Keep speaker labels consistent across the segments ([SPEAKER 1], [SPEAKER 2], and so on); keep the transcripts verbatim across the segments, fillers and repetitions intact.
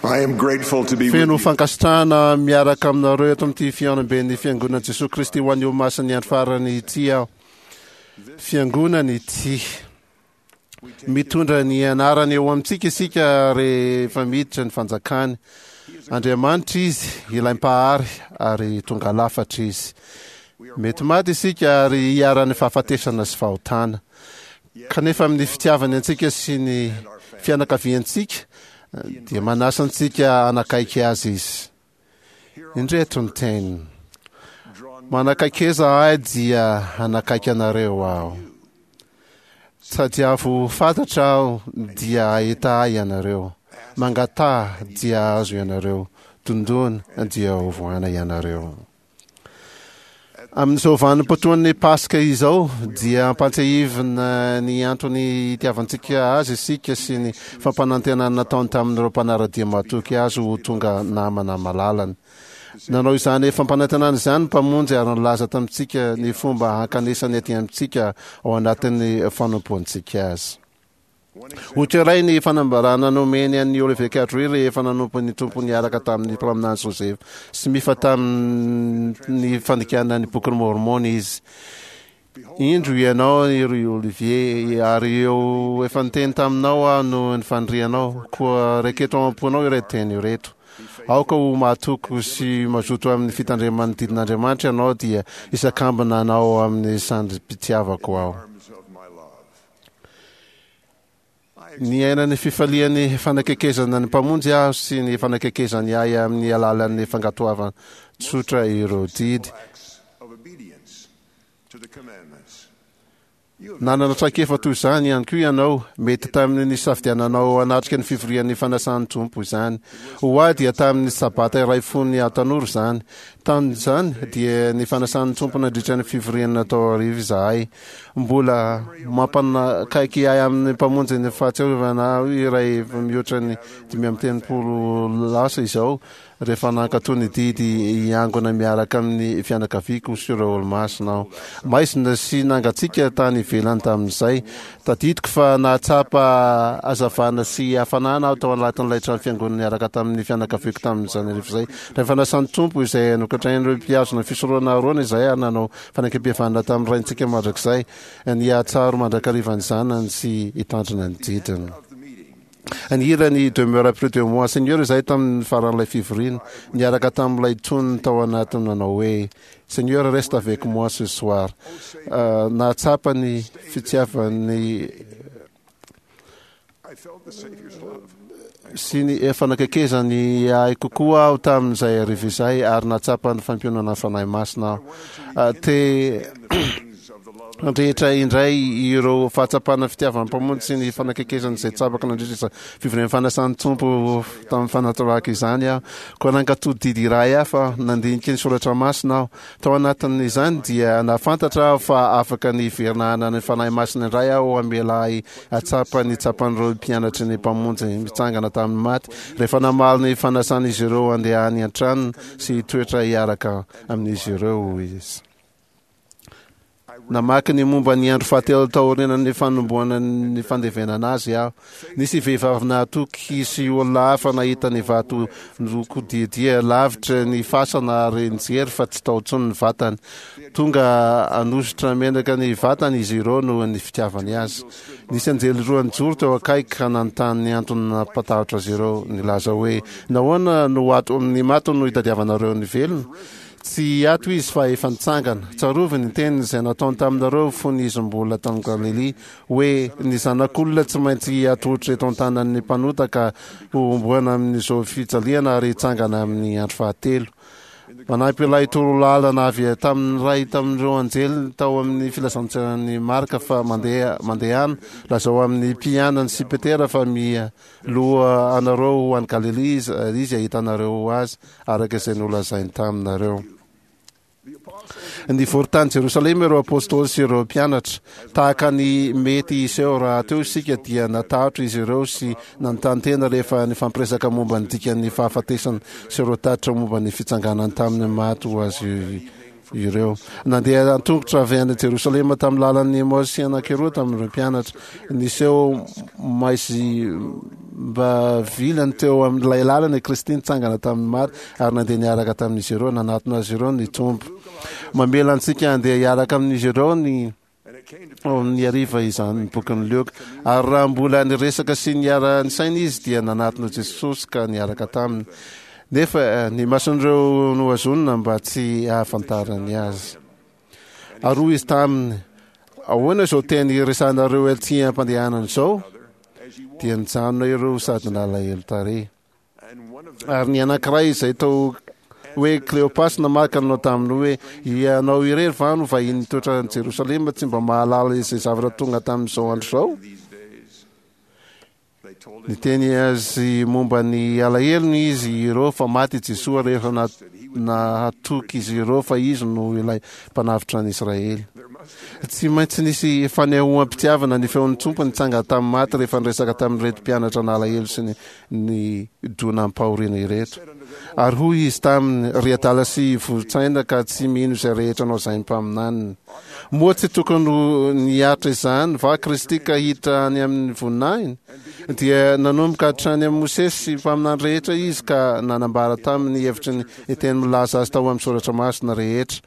[SPEAKER 1] I am grateful to be with
[SPEAKER 2] Feno
[SPEAKER 1] you.
[SPEAKER 2] fankasitrahana miaraka aminareo eto amin'ity fihaonamben'ny Fiangonana Jesoa Kristy ho an'ny Olomasin'ny andro farany ity aho. Fiangonana ity. Mitondra ny anarany eo amintsika isika rehefa miditra ny fanjakany. Andriamanitra izy, ilay mpahary ary tonga lafatra izy. Mety maty isika ary hiharan'ny fahafatesana sy fahotana. Kanefa amin'ny fitiavany antsika sy ny fianakaviantsika dia manasa antsika hanakaiky azy izy. Indreto ny teniny. Manakaikeza ahy dia hanakaiky anareo aho. Tadiavo fantatra aho dia hahita ahy ianareo. Mangataha dia hahazo ianareo. Dondona dia hovohana ianareo. Amin'izao vanim-potoan'ny Paska izao dia ampantsiahivina ny antony itiavantsika azy isika sy ny fampanantenana nataony tamin'ireo mpanara-dia matoky azy ho tonga namana malalany. Nanao izany fampanantenana izany ny Mpamonjy ary nilaza tamintsika ny fomba hankanesany aty amintsika ao anatin'ny fanompoantsika azy. Ohatra iray ny fanambarana nomeny an'i Oliver Cowdery rehefa nanompo ny Tompo niaraka tamin'ny mpaminany Joseph Smith tamin'ny fandikana ny Bokin'i Môrmôna izy. Indro ianao ry Olivier, ary eo efa niteny taminao aho noho ny fanirianao, koa raiketo ao am-ponao ireto teny ireto. Aoka ho mahatoky sy mazoto amin'ny fitandreman'ny didin'Andriamanitra ianao, dia hisakambina anao amin'ny sandrim-pitiavako aho. Niaina ny fifalian'ny fanakekezana ny Mpamonjy aho sy ny fanakekezany ahy amin'ny alalan'ny fankatoavana tsotra ireo didy. Nanana traikefa toy izany ihany koa ianao. Mety tamin'ny nisafidiananao hanatrika ny fivorian'ny fanasan'ny Tompo izany. Ho ahy dia tamin'ny Sabata iray fony aho tanora izany. Tamin'izany dia ny fanasan'ny Tompo nandritra ny fivoriana natao hariva izahay. Mbola mampanakaiky ahy amin'ny Mpamonjy ny fahatsiarovana ahy iray efa mihoatra ny dimy amby telopolo lasa izao, rehefa nankatò ny didy hiangona miaraka amin'ny fianakaviako sy ireo olomasina aho. Maizina sy nangatsiaka tany ivelany tamin'izay. Tadidiko fa nahatsapa hazavana sy hafanana aho tao anatin'ilay trano fiangonana niaraka tamin'ny fianakaviako tamin'izany hariva izay. Rehefa nasan'ny Tompo izay nokatrain'ireo mpihazona ny fisoronana Arona izahay ary nanao fanekempihavanana tamin'ny Raintsika mandrakizay, ny hahatsiaro mandrakariva ny Zanany sy hitandrina ny didiny. Nihira ny Demeure près de moi, Seigneur izahay tamin'ny faran'ilay fivoriana, niaraka tamin'ilay tonony tao anatiny nanao hoe, Seigneur, reste avec moi ce soir. Nahatsapa ny fitiavan'ny sy ny fanakaikezany ahy kokoa aho tamin'izay hariva izay ary nahatsapa ny fampiononana ny Fanahy Masina aho. Te handrehitra indray ireo fahatsapana fitiavan'ny Mpamonjy sy ny fanakaikezany izay tsapako nandritra izany fivorian'ny fanasan'ny Tompo tamin'ny fanatorahako izany aho. Koa nankatò didy iray hafa aho, nandinika ny soratra masina aho. Tao anatin'izany dia nahafantatra aho fa afaka ny hiverina hanana ny Fanahy Masina indray aho hamela ahy hahatsapa ny tsapan'ireo mpianatry ny Mpamonjy mitsangana tamin'ny maty rehefa namaly ny fanasan'izy ireo handeha any an-tranony sy hitoetra hiaraka amin'izy ireo izy. Namaky ny momba ny andro fahatelo taorianan'ny fanombohana ny fandevenana azy aho. Nisy vehivavy nahatoky sy olona hafa nahita ny vato nokodiadia lavitra ny fasana ary nijery fa tsy tao intsony ny vatany. Tonga hanosotra menaka ny vatany izy ireo noho ny fitiavany azy. Nisy anjely roa nijoro teo akaiky ka nanontany ny antony nampatahotra azy ireo, nilaza hoe, Nahoana no ato amin'ny maty no itadiavanareo ny velona? Tsy ato izy fa efa nitsangana. Tsarovy ny teniny izay nataony taminareo fony izy mbola tany Galilia, hoe, Ny Zanak'olona tsy maintsy hatolotra eto an-tanan'ny mpanota ka hohomboana amin'izao fijaliana ary hitsangana amin'ny andro fahatelo. Manampy ilay torolalana avy tamin'ny iray tamin'ireo anjely tao amin'ny filazantsaran'i Marka fa mandeha mandehana, lazao amin'ny mpianany sy Petera fa mialoha anareo ho any Galilia izy, ary izy hahita anareo azy, araka izay nolazainy taminareo. Nivory tany Jerosalema ireo apostoly sy ireo mpianatra. Tahaka ny mety hiseho rahateo isika dia natahotra izy ireo sy nanontany tena rehefa nifampiresaka momba ny dikan'ny fahafatesana sy ireo tatitra momba ny fitsanganany tamin'ny maty ho azy ireo. Nandeha an-tongotra avy any Jerosalema tamin'ny lalan'ny Emaosy anankiroa tamin'ireo mpianatra. Niseho maizim-ba vilany teo amin'ilay lalana i Kristy nitsangana tamin'ny maty ary nandeha niaraka tamin'izy ireo. Nanatona azy ireo ny Tompo. Mamela antsika handeha hiaraka amin'izy ireo ny ao amin'ny hariva izany ny bokin'i Lioka. Ary raha mbola niresaka sy niara-nisaina izy dia nanatona Jesosy ka niaraka taminy. Nefa ny mason'ireo nohazonina mba tsy hahafantarany azy. Ary hoy izy taminy, Ahoana izao teny iresahanareo etsy am-pandehanana izao? Dia nijanona ireo sady nalahelo tarehy. Ary ny anankiray izay tao hoe Kleopasy namaky ka nanao taminy hoe, Ianao irery va no vahiny nitoetra any Jerosalema tsy mba mahalala izay zavatra tonga tamin'izao andro izao? Niteny azy momba ny alahelony izy ireo fa maty i Jesoa rehefa nahatoky izy ireo fa izy no ilay Mpanavotra an'i Israely. Tsy maintsy nisy fanehoam-pitiavana ny feon'ny Tompo nitsangana tamin'ny maty rehefa niresaka tamin'ireto mpianatra nalahelo sy ny nidonam-pahoriana ireto. Ary hoy izy taminy, Ry adala sy voron-tsaina ka tsy mino izay rehetra nolazain'ny mpaminaniny. Moa tsy tokony ho niaritra izany va Kristy ka hiditra any amin'ny voninahiny? Dia nanomboka hatrany amin'i Mosesy sy mpaminany rehetra izy ka nanambara taminy ny hevitry ny teny milaza azy tao amin'ny Soratra Masina rehetra.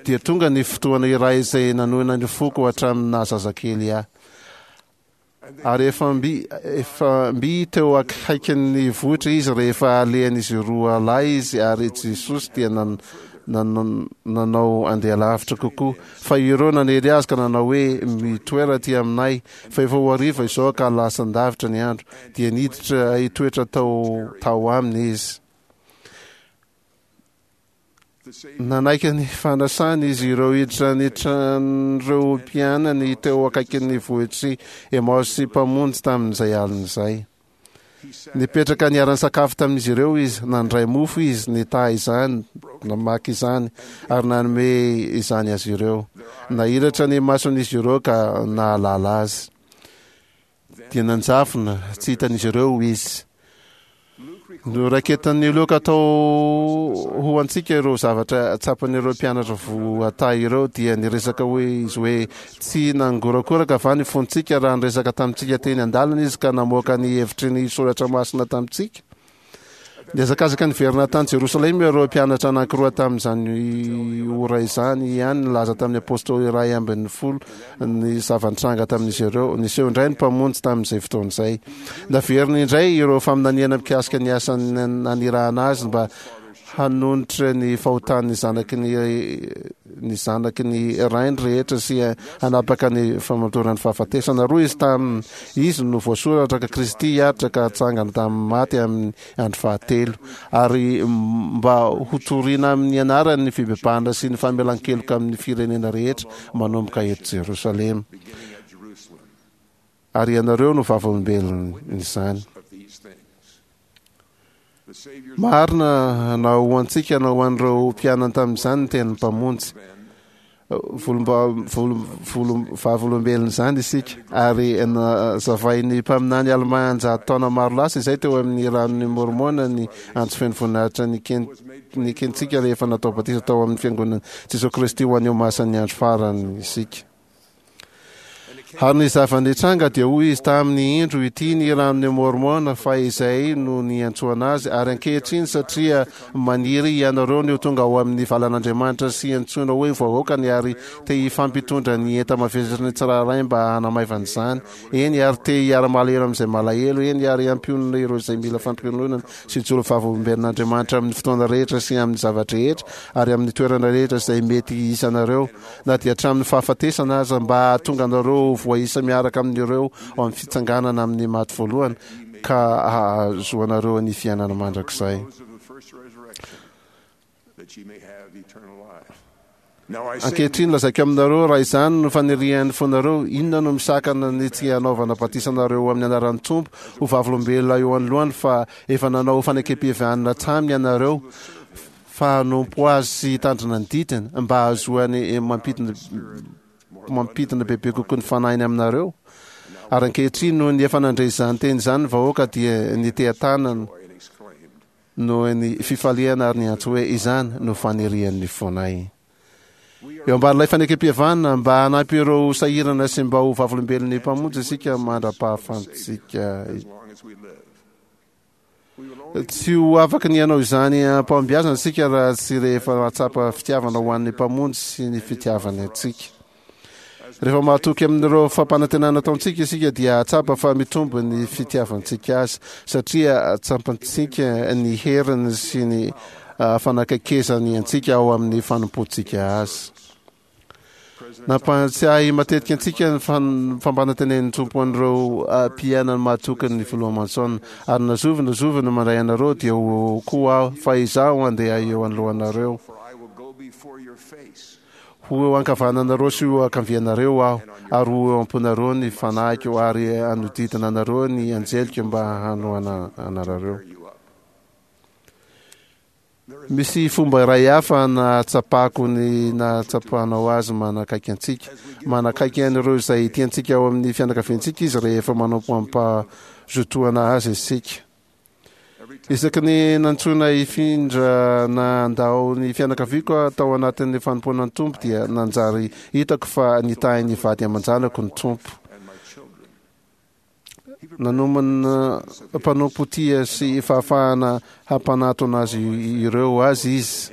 [SPEAKER 2] Dia tonga ny fotoana iray izay nanohina ny foko hatramin'ny naha zazakely ahy. Ary efa mby, efa mby teo akaikin'ny vohitra izy rehefa alehan'izy roa lahy izy, ary Jesosy dia nan, nan, nanao andeha lavitra kokoa. Fa ireo nanery azy ka nanao hoe, Mitoera aty aminay, fa efa ho hariva izao ka lasan-davitra ny andro. Dia niditra hitoetra tao, tao aminy izy. Nanaiky ny fanasany izy ireo hiditra ny tran'ireo mpianany teo akaikin'ny vohitr'i Emaosy Mpamonjy tamin'izay alina izay. Nipetraka niara-nisakafo tamin'izy ireo izy, nandray mofo izy, nitaha izany, namaky izany, ary nanome izany azy ireo. Nahiratra ny mason'izy ireo ka nahalala azy. Dia nanjavona tsy hitan'izy ireo izy. Noraiketan'i Lioka tao ho antsika ireo zavatra tsapan'ireo mpianatra voatahy ireo, dia niresaka hoe izy hoe, Tsy nangorakoraka va ny fontsika raha niresaka tamintsika teny an-dalana izy ka namoaka ny hevitry ny Soratra Masina tamintsika? Nihazakazaka niverina tany Jerosalema ireo mpianatra anankiroa tamin'izany ora izany ihany, nilaza tamin'ny apostoly iray ambin'ny folo ny zava-nitranga tamin'izy ireo. Niseho indray ny Mpamonjy tamin'izay fotoana izay. Naveriny indray ireo faminaniana mikasika ny asa nanirahana azy mba hanonitra ny fahotan'ny zanaky ny ny zanaky ny rainy rehetra sy hanapaka ny famotoran'ny fahafatesana. Roa izy tamin' izy no voasoratra ka Kristy hiaritra ka hatsangana tamin'ny maty amin'ny andro fahatelo, ary mba hotorina amin'ny anarany ny fibebahana sy ny famelan-keloka amin'ny firenena rehetra manomboka eto Jerosalema. Ary ianareo no vavolombelon'izany. Marina na ho antsika na ho an'ireo mpianany tamin'izany ny tenin'ny Mpamonjy. Vavolombelon'izany isika, ary nazavain'ny mpaminany Almà an-jato taona maro lasa izay teo amin'ny ranon'i Môrmôna ny antso feno voninahitra nekentsika rehefa natao batisa tao amin'ny Fiangonan'i Jesoa Kristy ho an'ny Olomasin'ny Andro Farany isika. Ary ny zava-nitranga dia hoy izy taminy, Indro, ity ny ranon'i Môrmôna, fa izay no niantsoana azy, ary ankehitriny, satria maniry hianareo ny ho tonga ao amin'ny valan'Andriamanitra sy hantsoina hoe vahoakany, ary te hifampitondra ny enta-mavesatry ny tsirairay mba hanamaivana izany, eny, ary te hiara-malahelo amin'izay malahelo, eny, ary hampionona ireo izay mila fampiononana, sy hijoro vavolombelon'Andriamanitra amin'ny fotoana rehetra sy amin'ny zava-drehetra ary amin'ny toerana rehetra izay mety hisy anareo, na dia hatramin'ny fahafatesana aza, mba hahatonga anareo ho voaisa miaraka amin'ireo ao amin'ny fitsanganana amin'ny maty voalohany, ka hahazoanareo ny fiainana mandrakizay. Ankehitriny, lazaiko aminareo, raha izany no fanirian'ny fonareo, inona no misakana ny tsy hanaovana batisa anareo amin'ny anaran'ny Tompo ho vavolombelona eo anoloany fa efa nanao fanekempihavanana taminy ianareo, fa hanompo azy sy hitandrina ny didiny mba hahazoany mampidina mampidina bebe kokoa ny fanahiny aminareo? Ary ankehitriny, noho ny efa nandre izany teny izany ny vahoaka dia niteha-tanana. Noho ny fifaliana ary niantso hoe, Izany no fanirian'ny fonay. Eo ambanin'ilay fanekempihavanana, mba hanampy ireo sahirana sy mba ho vavolombelon'ny Mpamonjy isika mandra-pahafantsika. Tsy ho afaka ny hanao izany am-pahombiazana isika raha tsy rehefa mahatsapa fitiavana ho an'ny Mpamonjy sy ny fitiavany antsika. Rehefa mahatoky amin'ireo fampanantenana ataontsika isika dia hahatsapa fa mitombo ny fitiavantsika Azy, satria tsapantsika ny heriny sy ny fanakaikezany antsika ao amin'ny fanompoantsika Azy. Nampahatsiahy matetika antsika ny fampanantenen'ny Tompo an'ireo mpiainany mahatoky ny Filoha Monson, Ary na zovy na zovy no mandray anareo dia ho eo koa aho, fa izaho handeha eo anoloanareo. Ho eo ankavananareo sy ho eo ankavianareo aho, ary ho eo am-ponareo ny fanahiko, ary hanodidina anareo ny anjeliko mba hanohana anareo. Misy fomba iray hafa nahatsapako ny nahatsapanao azy manakaiky antsika. Manakaiky an'ireo izay tiantsika ao amin'ny fianakaviantsika izy rehefa manompo amim-pahazotoana azy isika. Isaky ny nantsoina hifindra na handao ny fianakaviako aho tao anatin'ny fanompoana ny Tompo dia nanjary hitako fa nitahy ny vady aman-janako ny Tompo. Nanomana mpanompo tia sy fahafahana hampanatona azy ireo azy Izy.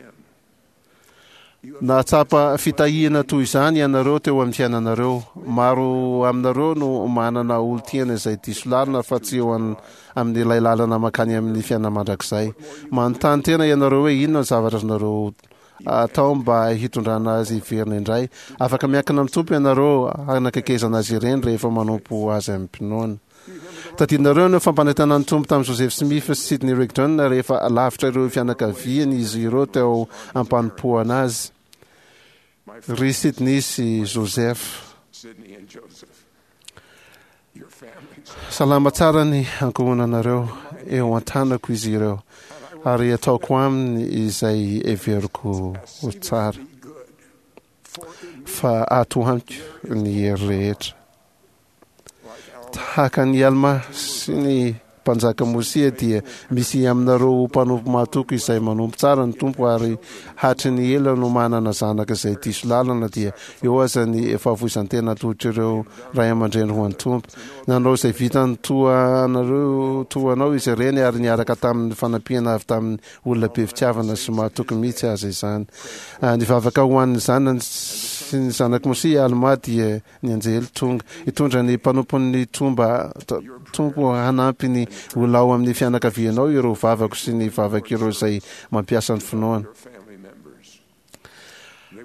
[SPEAKER 2] Nahatsapa fitahiana toy izany ianareo teo amin'ny fiainanareo. Maro aminareo no manana olon-tiana izay diso lalana fa tsy eo amin'ilay lalana mankany amin'ny fiainana mandrakizay. Manontany tena ianareo hoe inona ny zavatra azonareo atao mba hitondrana azy hiverina indray. Afaka miankina amin'ny Tompo ianareo hanakaikezana azy ireny rehefa manompo Azy amim-pinoana. Tadidinareo ny fampanantenan'ny Tompo tamin'i Joseph Smith sy Sidney Rigdon rehefa lavitra ireo fianakaviany izy ireo teo am-panompoana Azy? Ry Sidney sy Joseph, salama tsara ny ankohonanareo, eo an-tanako izy ireo, ary ataoko aminy izay heveriko ho tsara, fa ato amiko ny hery rehetra. Tahaka an'i Almà sy ny mpanjaka Môsia dia misy aminareo mpanompo mahatoky izay manompo tsara ny Tompo ary hatry ny ela no manana zanaka izay diso lalana dia eo aza ny fahafoizan-tena atolotr'ireo ray aman-dreny ho an'ny Tompo. Nanao izay vitany toa anareo toa anao izy ireny ary niaraka tamin'ny fanampiana avy tamin'ny olona be fitiavana sy mahatoky mihitsy aza izany. Nivavaka ho an'ny zanany sy ny zanak'i Môsia i Almà dia Ny anjely tonga hitondra ny mpanompon'ny Tomba Tompo hanampy ny olona ao amin'ny fianakavianao ireo vavako sy ny vavak'ireo izay mampiasa ny finoana.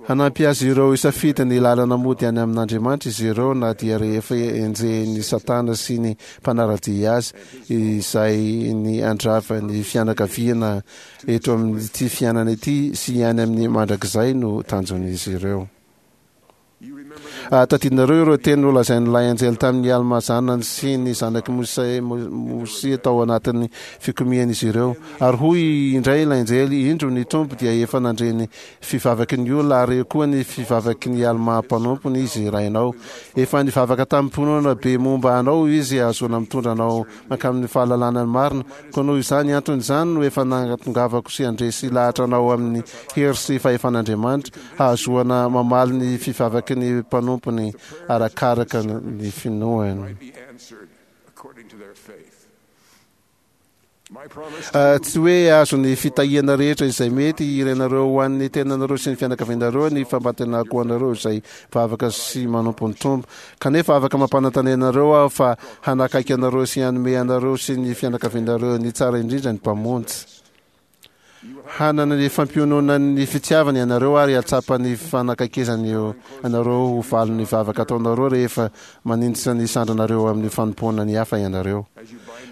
[SPEAKER 2] Hanampy azy ireo hisafidy ny lalana mody any amin'Andriamanitra izy ireo na dia rehefa enjehin'i Satana sy ny mpanara-dia azy izay ny handrava ny fianakaviana eto amin'ity fiainana ity sy any amin'ny mandrakizay no tanjon'izy ireo. Tadidinareo ireo teny nolazain'ilay anjely tamin'i Almà zanany sy ny zanak'i Mosia tao anatin'ny fikomian'izy ireo. Ary hoy indray ilay anjely, Indro, ny Tompo dia efa nandre ny fivavaky ny olona, ary koa ny fivavaky ny Almà mpanompony Izy rainao. Efa nivavaka tamim-pinoana be momba anao Izy hahazoana mitondra anao mankamin'ny fahalalana ny marina, koa noho izany antony izany no efa nahatongavako sy handresy lahatra anao amin'ny hery sy fahefan'Andriamanitra, hahazoana mamaly ny fivavaky ny mpanompony arakaraka ny finoany. Tsy hoe azo ny fitahiana rehetra izay mety hirenareo ho an'ny tenanareo sy ny fianakavianareo ny fampantenako anareo izay vavaka sy manompo ny Tompo. Kanefa afaka mampanantena anareo aho fa hanakaiky anareo sy hanome anareo sy ny fianakavianareo ny tsara indrindra ny Mpamonjy. Hanana ny fampiononan'ny fitiavany ianareo ary hahatsapa ny fanakaikezany anareo ho valin'ny vavaka ataonareo rehefa maninjitra ny sandrinareo amin'ny fanompoana ny hafa ianareo.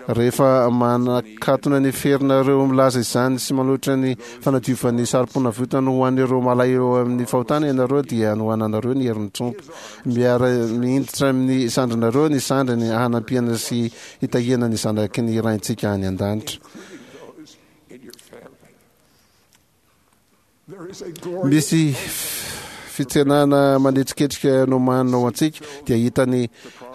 [SPEAKER 2] Rehefa manakatona ny ferinareo milaza izany sy manohitra ny fanadiovan'ny sarom-ponavotana ho an'ireo malahelo amin'ny fahotana ianareo dia hanohananareo ny herin'ny Tompo. Miara-mihinditra amin'ny sandrinareo ny sandriny hanampiana sy hitahiana ny zanaky ny Raintsika any an-danitra. Misy Fitsenana manetriketrika nomanina ho antsika, dia hahita ny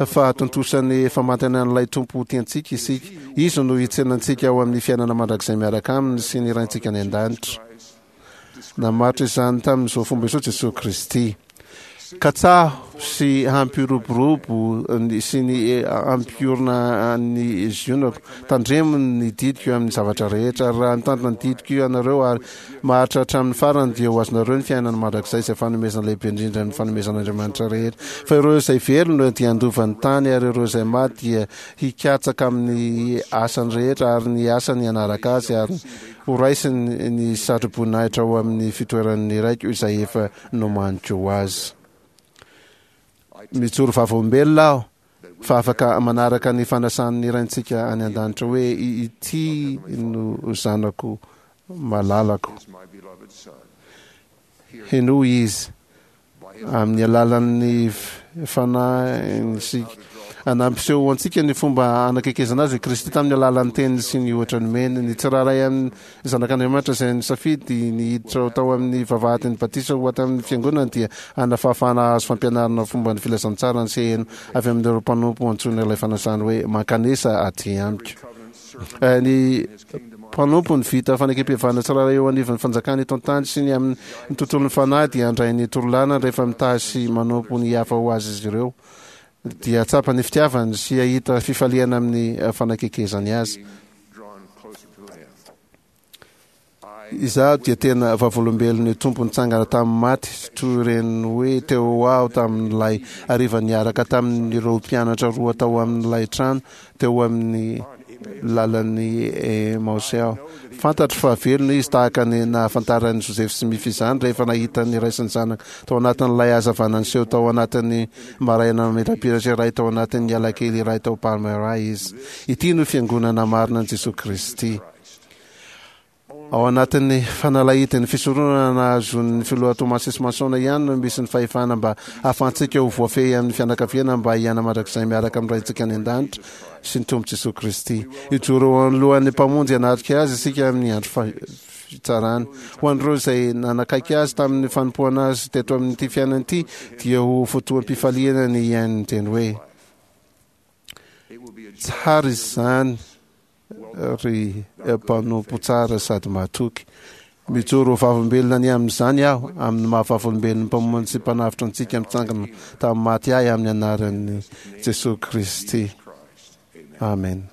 [SPEAKER 2] fahatontosan'ny famantanan'ilay Tompo tiantsika isika. Izy no hitsena antsika ao amin'ny fiainana mandrakizay miaraka aminy sy ny Raintsika any an-danitra. Namaritra izany tamin'izao fomba izao Jesoa Kristy. Katsaho sy hampiroborobo sy ny hampiorina ny Zionako. Tandremo ny didiko amin'ny zavatra rehetra, ary raha mitandrina ny didiko ianareo ary maharitra hatramin'ny farany, dia ho azonareo ny fiainana mandrakizay, izay fanomezana lehibe indrindra amin'ny fanomezan'Andriamanitra rehetra. Fa ireo izay velona dia handova ny tany, ary ireo izay maty dia hikatsaka amin'ny asany rehetra, ary ny asany hanaraka azy, ary horaisiny ny satroboninahitra ao amin'ny fitoeran'ny Raiko izay efa nomaniko ho azy. Mijoro vavolombelona aho fa afaka manaraka ny fanasan'ny Raintsika any an-danitra hoe, Ity no Zanako malalako. Henoy Izy. Amin'ny alalan'ny Fanahiny sy nampiseho ho antsika ny fomba hanakekezana azy i Kristy tamin'ny alalan'ny teniny sy ny ohatra nomeny. Ny tsirairay amin'ny zanak'Andriamanitra izay nisafidy ny hiditra tao amin'ny vavahadin'ny batisa ho ato amin'ny fiangonana dia hanana fahafahana hahazo fampianarana fomba ny filazantsarany sy heno avy amin'ireo mpanompo antsoina ilay fanasany hoe mankanesa aty amiko. Ny mpanompo ny vita fanekempihavanana tsirairay eo anivon'ny fanjakana eto an-tany sy ny amin'ny tontolon'ny fanahy dia handray ny torolalana rehefa mitahy sy manompo ny hafa ho azy izy ireo dia hahatsapa ny fitiavany sy hahita fifaliana amin'ny fanakekezany azy. Izaho dia tena vavolombelon'ny Tompo nitsangana tamin'ny maty, toy ireny hoe teo aho tamin'ilay hariva niaraka tamin'ireo mpianatra roa tao amin'ilay trano teo amin'ny lalan'i Emaosy aho. Fantatro fa velona Izy tahaka ny nahafantaran'i Joseph Smith izany rehefa nahita ny ray sy ny zanaka tao anatin'ilay hazavana niseho tao anatin'ny maraina mamirapiratra iray tao anatin'ny alakely iray tao Palmyra izy. Ity no Fiangonana marina an'i Jesoa Kristy. Ao anatin'ny fanalahidin'ny fisoronana nahazoan'ny Filoha Thomas S. Monson ihany no misy ny fahefana mba hahafahantsika ho voafehy amin'ny fianakaviana mba hiaina mandrakizay miaraka amin'ny Raintsika any An-danitra sy ny Tompo Jesoa Kristy. Hijoro eo anoloan'ny Mpamonjy hanatrika Azy isika amin'ny andro fitsarana. Ho an'ireo izay nanakaiky Azy tamin'ny fanompoana Azy teto amin'ity fiainana ity dia ho fotoam-pifaliana ny hihaino ny teny hoe, Tsara izany ry mpanompo tsara sady mahatoky. Mijoro ho vavolombelona ny amin'izany aho, amin'ny maha vavolombelon'ny Mpamonjy sy Mpanavotra antsika mitsangana tamin'ny maty ahy amin'ny anaran'i Jesoa Kristy. Amen.